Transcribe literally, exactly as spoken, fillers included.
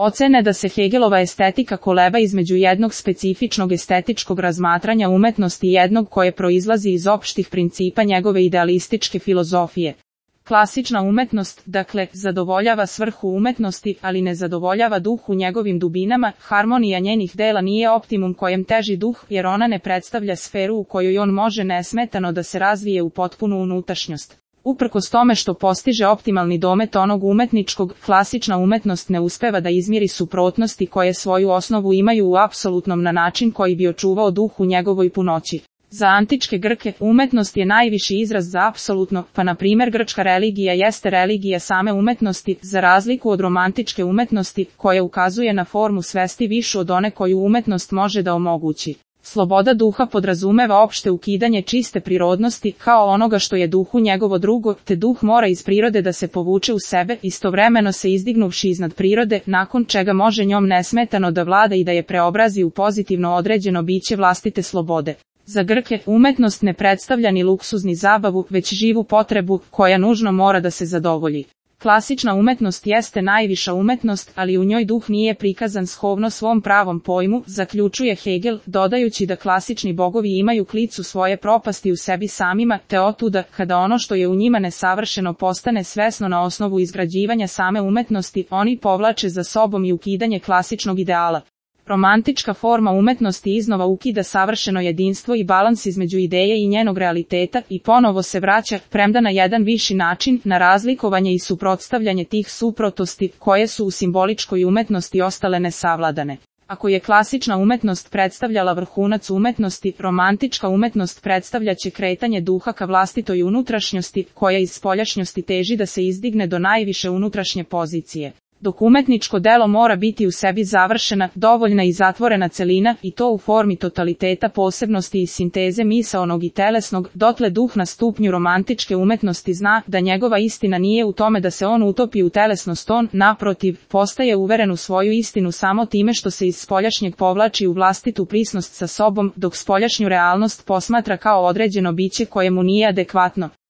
Ocene da se Hegelova estetika koleba između jednog specifičnog estetičkog razmatranja umetnosti i jednog koje proizlazi iz opštih principa njegove idealističke filozofije. Klasična umetnost, dakle, zadovoljava svrhu umetnosti, ali ne zadovoljava duh u njegovim dubinama, harmonija njenih dela nije optimum kojem teži duh, jer ona ne predstavlja sferu u kojoj on može nesmetano da se razvije u potpunu unutrašnjost. Uprkos tome što postiže optimalni domet onog umetničkog, klasična umetnost ne uspeva da izmiri suprotnosti koje svoju osnovu imaju u apsolutnom na način koji bi očuvao duh u njegovoj punoći. Za antičke Grke, umetnost je najviši izraz za apsolutno, pa na primjer grčka religija jeste religija same umetnosti, za razliku od romantičke umetnosti, koja ukazuje na formu svesti višu od one koju umetnost može da omogući. Sloboda duha podrazumeva opšte ukidanje čiste prirodnosti, kao onoga što je duhu njegovo drugo, te duh mora iz prirode da se povuče u sebe, istovremeno se izdignuvši iznad prirode, nakon čega može njom nesmetano da vlada i da je preobrazi u pozitivno određeno biće vlastite slobode. Za Grke, umetnost ne predstavlja ni luksuz ni zabavu, već živu potrebu, koja nužno mora da se zadovolji. Klasična umetnost jeste najviša umetnost, ali u njoj duh nije prikazan shodno svom pravom pojmu, zaključuje Hegel, dodajući da klasični bogovi imaju klicu svoje propasti u sebi samima, te otuda, kada ono što je u njima nesavršeno postane svesno na osnovu izgrađivanja same umetnosti, oni povlače za sobom i ukidanje klasičnog ideala. Romantička forma umetnosti iznova ukida savršeno jedinstvo i balans između ideje i njenog realiteta i ponovo se vraća, premda na jedan viši način, na razlikovanje i suprotstavljanje tih suprotnosti, koje su u simboličkoj umetnosti ostale nesavladane. Ako je klasična umetnost predstavljala vrhunac umetnosti, romantička umetnost predstavljaće kretanje duha ka vlastitoj unutrašnjosti, koja iz spoljašnjosti teži da se izdigne do najviše unutrašnje pozicije. Dok umetničko delo mora biti u sebi završena, dovoljna i zatvorena celina, i to u formi totaliteta posebnosti i sinteze misaonog i telesnog, dotle duh na stupnju romantičke umetnosti zna da njegova istina nije u tome da se on utopi u telesnost, on, naprotiv, postaje uveren u svoju istinu samo time što se iz spoljašnjeg povlači u vlastitu prisnost sa sobom, dok spoljašnju realnost posmatra kao određeno biće koje mu nije adekvatno.